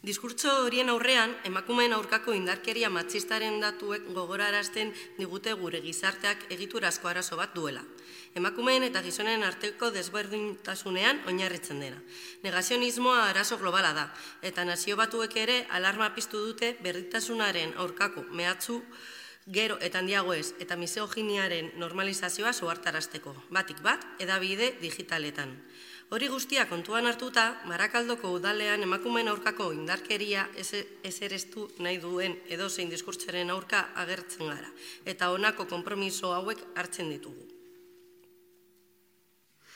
Diskurtso horien aurrean, emakumeen aurkako indarkeria matxistaren datuek gogorarazten digute gure gizarteak egiturazko arazo bat duela. Emakumeen eta gizonen arteko desberdintasunean oinarritzen dena. Negazionismoa arazo globala da, eta Nazio Batuek ere alarma piztu dute berdintasunaren aurkako mehatxu gero eta handiagoez eta misoginiaren normalizazioa zuhartarazteko, batik bat, hedabide digitaletan. Hori guztia kontuan hartuta, Barakaldoko udalean emakumeen aurkako indarkeria ezerestu nahi duen edozein diskurtsoaren aurka agertzen gara, eta honako konpromiso hauek hartzen ditugu.